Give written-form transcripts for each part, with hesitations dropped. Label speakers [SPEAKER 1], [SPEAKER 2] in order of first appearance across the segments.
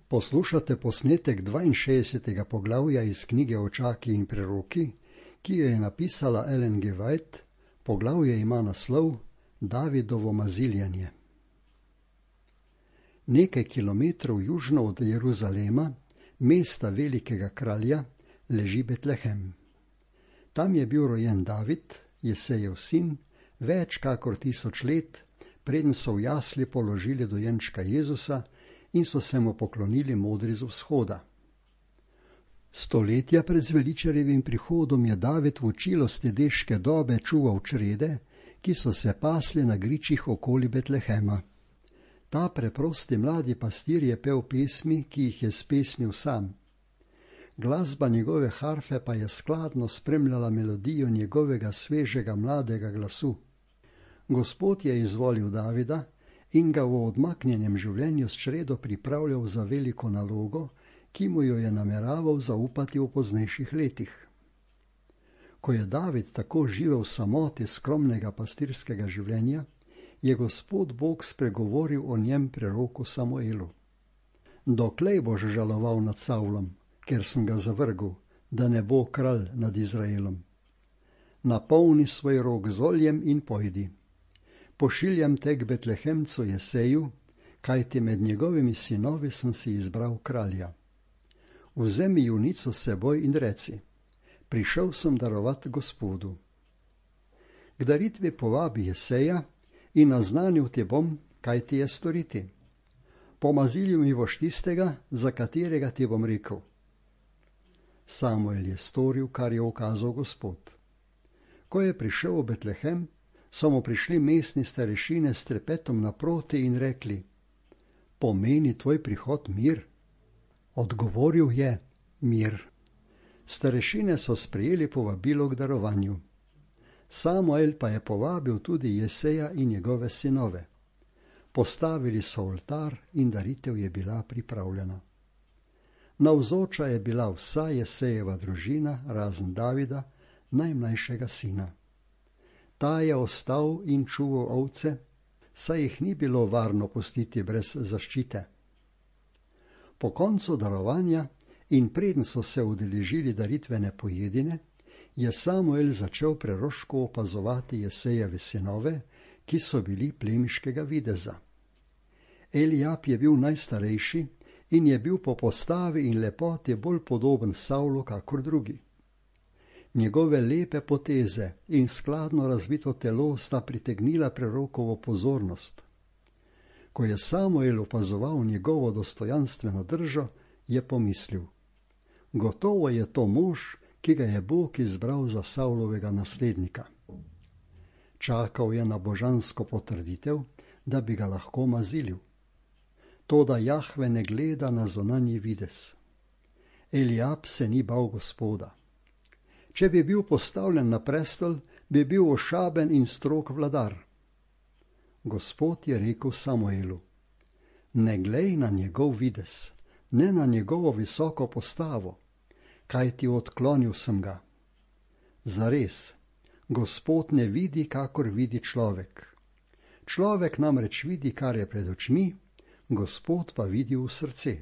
[SPEAKER 1] Poslušate posnetek 62. poglavja iz knjige Očaki in preroki, ki jo je napisala Ellen G. White. Poglavje ima naslov Davidovo maziljanje. Nekaj kilometrov južno od Jeruzalema, mesta velikega kralja, leži Betlehem. Tam je bil rojen David, Jesejev sin, več kakor 1000 let, preden so v jasli položili dojenčka Jezusa in so se mu poklonili modri z vzhoda. Stoletja pred zveličarjevim prihodom je David v učilosti deške dobe čuval črede, ki so se pasli na gričih okoli Betlehema. Ta preprosti mladi pastir je pel pesmi, ki jih je spesnil sam. Glasba njegove harfe pa je skladno spremljala melodijo njegovega svežega mladega glasu. Gospod je izvolil Davida in ga v odmaknjenem življenju s čredo pripravljal za veliko nalogo, ki mu jo je nameraval zaupati v poznejših letih. Ko je David tako živel v samoti skromnega pastirskega življenja, je Gospod Bog spregovoril o njem preroku Samuelu. Doklej boš žaloval nad Savlom, ker sem ga zavrgel, da ne bo kralj nad Izraelom. Napolni svoj rog z oljem in pojdi. Pošiljam te k Betlehemcu Jeseju, kajti med njegovimi sinovi sem si izbral kralja. Vzemi junico s seboj in reci, prišel sem darovat Gospodu. K daritvi povabi Jeseja in naznanil te bom, kaj ti je storiti. Pomazilil mi boš tistega, za katerega ti bom rekel. Samuel je storil, kar je ukazal Gospod. Ko je prišel v Betlehem, so mu prišli mestni starešine s trepetom naproti in rekli, pomeni tvoj prihod mir? Odgovoril je, mir. Starešine so sprejeli povabilo k darovanju. Samuel pa je povabil tudi Jeseja in njegove sinove. Postavili so oltar in daritev je bila pripravljena. Navzoča je bila vsa Jesejeva družina, razen Davida, najmlajšega sina. Ta je ostal in čuval ovce, saj jih ni bilo varno pustiti brez zaščite. Po koncu darovanja in preden so se udeležili daritvene pojedine, je Samuel začel preroško opazovati Jesejeve sinove, ki so bili plemiškega videza. Eliab je bil najstarejši in je bil po postavi in lepoti bolj podoben Savlu kakor drugi. Njegove lepe poteze in skladno razvito telo sta pritegnila prerokovo pozornost. Ko je Samuel opazoval njegovo dostojanstveno držo, je pomislil, gotovo je to mož, ki ga je Bog izbral za Savlovega naslednika. Čakal je na božansko potrditev, da bi ga lahko mazilil. Toda Jahve ne gleda na zunanji videz. Eliab se ni bal Gospoda. Če bi bil postavljen na prestol, bi bil ošaben in strog vladar. Gospod je rekel Samuelu, ne glej na njegov videz, ne na njegovo visoko postavo, kajti odklonil sem ga. Zares, Gospod ne vidi, kakor vidi človek. Človek namreč vidi, kar je pred očmi, Gospod pa vidi v srce.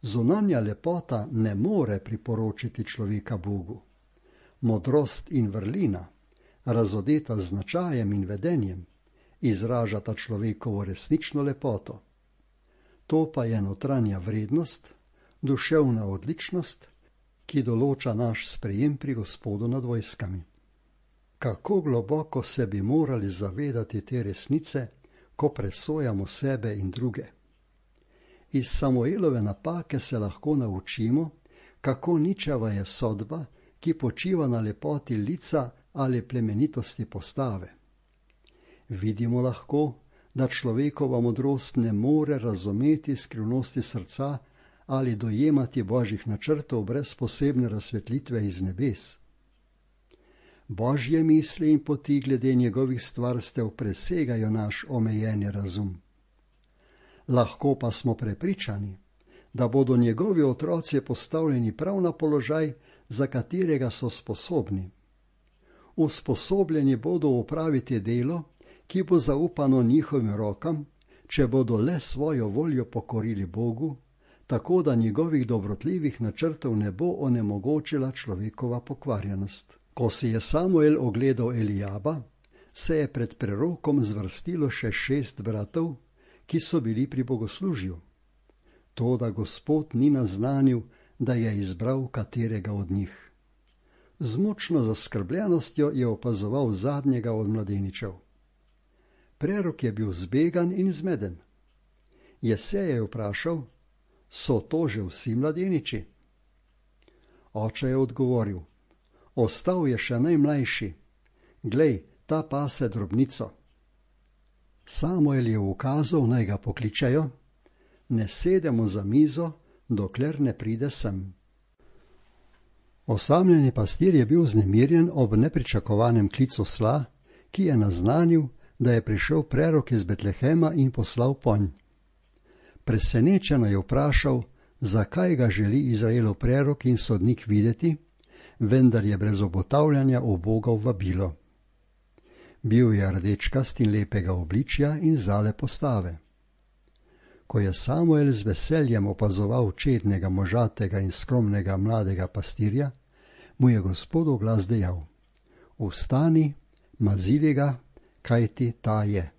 [SPEAKER 1] Zunanja lepota ne more priporočiti človeka Bogu. Modrost in vrlina, razodeta z značajem in vedenjem, izražata človekovo resnično lepoto. To pa je notranja vrednost, duševna odličnost, ki določa naš sprejem pri Gospodu nad vojskami. Kako globoko se bi morali zavedati te resnice, ko presojamo sebe in druge. Iz Samuelove napake se lahko naučimo, kako ničava je sodba, ki počiva na lepoti lica ali plemenitosti postave. Vidimo lahko, da človekova modrost ne more razumeti skrivnosti srca ali dojemati božjih načrtov brez posebne razsvetlitve iz nebes. Božje misli in poti glede njegovih stvarstev presegajo naš omejeni razum. Lahko pa smo prepričani, da bodo njegovi otroci postavljeni prav na položaj, za katerega so sposobni. Usposobljeni bodo opraviti delo, ki bo zaupano njihovim rokam, če bodo le svojo voljo pokorili Bogu tako da njegovih dobrotljivih načrtov ne bo onemogočila človekova pokvarjenost. Ko si je Samuel ogledal Elijaba, se je pred prerokom zvrstilo še 6 bratov, ki so bili pri bogoslužju. Toda Gospod ni naznanil, da je izbral katerega od njih. Z močno zaskrbljenostjo je opazoval zadnjega od mladeničev. Prerok je bil zbegan in zmeden. Jesej je vprašal, so to že vsi mladeniči? Oče je odgovoril, ostal je še najmlajši. Glej, ta pase drobnico. Samuel je ukazal, naj ga pokličejo, ne sedemo za mizo, dokler ne pride sem. Osamljeni pastir je bil vznemirjen ob nepričakovanem klicu sla, ki je naznanil, da je prišel prerok iz Betlehema in poslal ponj. Presenečeno je vprašal, zakaj ga želi Izraelov prerok in sodnik videti, vendar je brez obotavljanja ubogal vabilo. Bil je rdečkast in lepega obličja in zale postave. Ko je Samuel z veseljem opazoval čednega, možatega in skromnega mladega pastirja, mu je Gospod v glas dejal, vstani, mazili ga, kajti ta je.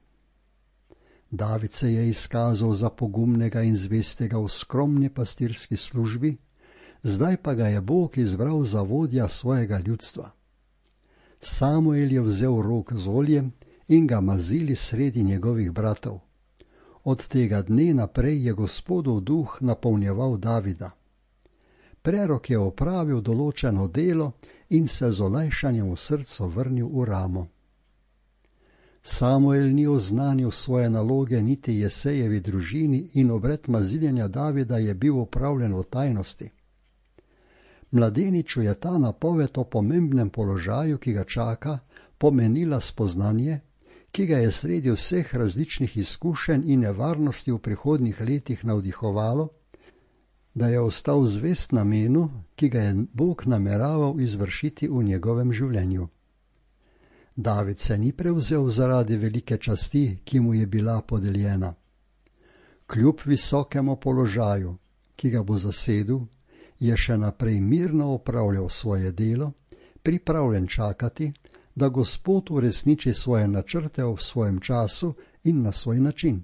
[SPEAKER 1] David se je izkazal za pogumnega in zvestega v skromni pastirski službi, zdaj pa ga je Bog izbral za vodja svojega ljudstva. Samuel je vzel rog z oljem in ga mazili sredi njegovih bratov. Od tega dne naprej je Gospodov duh napolnjeval Davida. Prerok je opravil določeno delo in se z olajšanjem v srcu vrnil v Ramo. Samuel ni oznanil svoje naloge niti Jesejevi družini in obred maziljenja Davida je bil opravljen v tajnosti. Mladeniču je ta napoved o pomembnem položaju, ki ga čaka, pomenila spoznanje, ki ga je sredi vseh različnih izkušenj in nevarnosti v prihodnjih letih navdihovalo, da je ostal zvest namenu, ki ga je Bog nameraval izvršiti v njegovem življenju. David se ni prevzel zaradi velike časti, ki mu je bila podeljena. Kljub visokemu položaju, ki ga bo zasedel, je še naprej mirno opravljal svoje delo, pripravljen čakati, da Gospod uresniči svoje načrte v svojem času in na svoj način.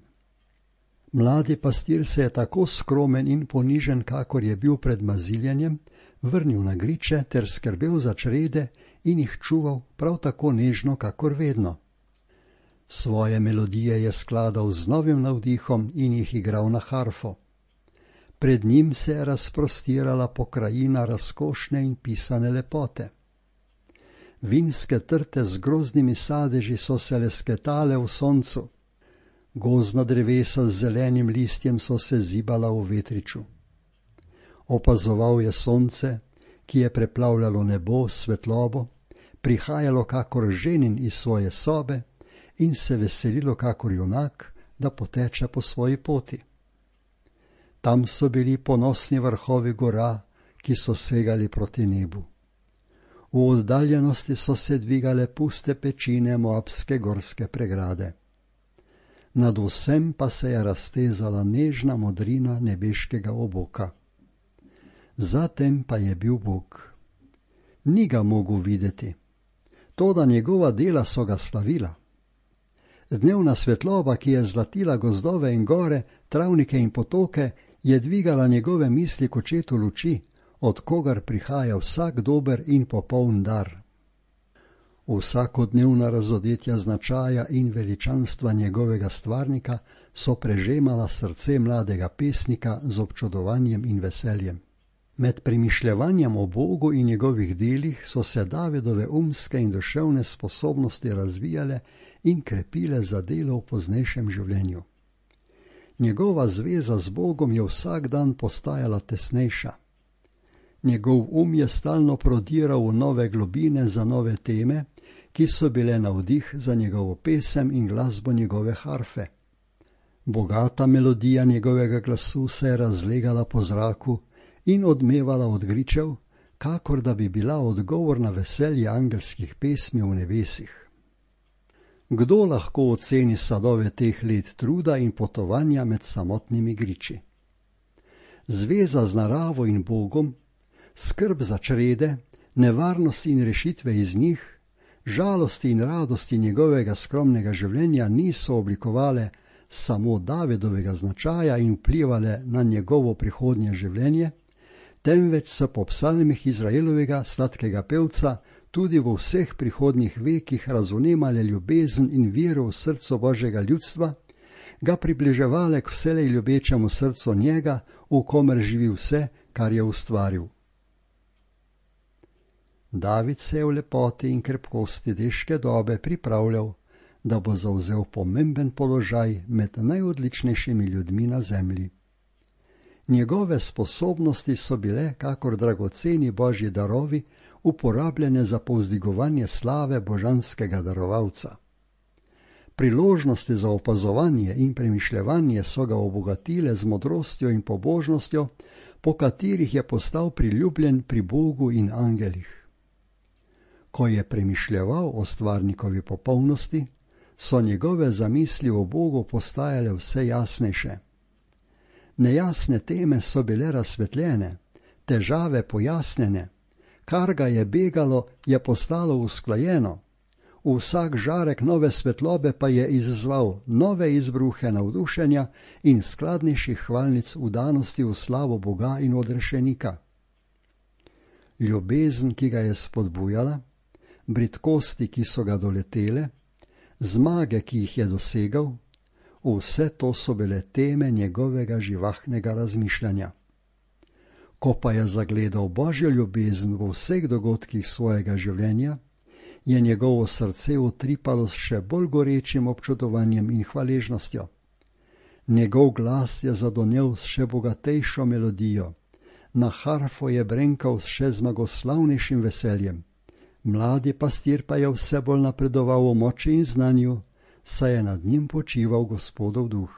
[SPEAKER 1] Mladi pastir se je tako skromen in ponižen, kakor je bil pred maziljenjem, vrnil na griče ter skrbel za črede in jih čuval prav tako nežno, kakor vedno. Svoje melodije je skladal z novim navdihom in jih igral na harfo. Pred njim se je razprostirala pokrajina razkošne in pisane lepote. Vinske trte z grozdnimi sadeži so se lesketale v soncu, gozdna drevesa z zelenim listjem so se zibala v vetriču. Opazoval je sonce, ki je preplavljalo nebo s svetlobo, prihajalo kakor ženin iz svoje sobe in se veselilo kakor junak, da poteče po svoji poti. Tam so bili ponosni vrhovi gora, ki so segali proti nebu. V oddaljenosti so se dvigale puste pečine moabske gorske pregrade. Nad vsem pa se je raztezala nežna modrina nebeškega oboka. Zatem pa je bil Bog. Ni ga mogel videti, toda njegova dela so ga slavila. Dnevna svetloba, ki je zlatila gozdove in gore, travnike in potoke, je dvigala njegove misli k očetu luči, od kogar prihaja vsak dober in popoln dar. Vsakodnevna razodetja značaja in veličanstva njegovega stvarnika so prežemala srce mladega pesnika z občudovanjem in veseljem. Med premišljevanjem o Bogu in njegovih delih so se Davidove umske in duševne sposobnosti razvijale in krepile za delo v poznejšem življenju. Njegova zveza z Bogom je vsak dan postajala tesnejša. Njegov je stalno prodiral v nove globine za nove teme, ki so bile navdih za njegovo pesem in glasbo njegove harfe. Bogata melodija njegovega glasu se je razlegala po zraku in odmevala od gričev, kakor da bi bila odgovor na veselje angelskih pesmi v nebesih. Kdo lahko oceni sadove teh let truda in potovanja med samotnimi griči? zveza z naravo in Bogom, skrb za črede, nevarnosti in rešitve iz njih, žalosti in radosti njegovega skromnega življenja niso oblikovale samo Davidovega značaja in vplivale na njegovo prihodnje življenje, temveč so po psalmih Izraelovega sladkega pevca tudi v vseh prihodnjih vekih razvnemale ljubezen in vero v srcu Božjega ljudstva, ga približevale k vselej ljubečemu srcu njega, v komer živi vse, kar je ustvaril. David se je v lepoti in krepkosti deške dobe pripravljal, da bo zavzel pomemben položaj med najodličnejšimi ljudmi na zemlji. Njegove sposobnosti so bile, kakor dragoceni Božji darovi, uporabljene za povzdigovanje slave božanskega darovalca. Priložnosti za opazovanje in premišljevanje so ga obogatile z modrostjo in pobožnostjo, po katerih je postal priljubljen pri Bogu in angelih. Ko je premišljeval o stvarnikovi popolnosti, so njegove zamisli o Bogu postajale vse jasnejše. Nejasne teme so bile razsvetljene, težave pojasnjene, kar ga je begalo, je postalo usklajeno. Vsak žarek nove svetlobe pa je izzval nove izbruhe navdušenja in skladnejših hvalnic vdanosti v slavo Boga in odrešenika. Ljubezen, ki ga je spodbujala, bridkosti, ki so ga doletele, zmage, ki jih je dosegal, vse to so bile teme njegovega živahnega razmišljanja. Ko pa je zagledal Božjo ljubezen v vseh dogodkih svojega življenja, je njegovo srce utripalo s še bolj gorečim občudovanjem in hvaležnostjo. Njegov glas je zadonel s še bogatejšo melodijo, na harfo je brenkal s še zmagoslavnejšim veseljem. Mladi pastir pa je vse bolj napredoval v moči in znanju, saj je nad njim počival Gospodov duh.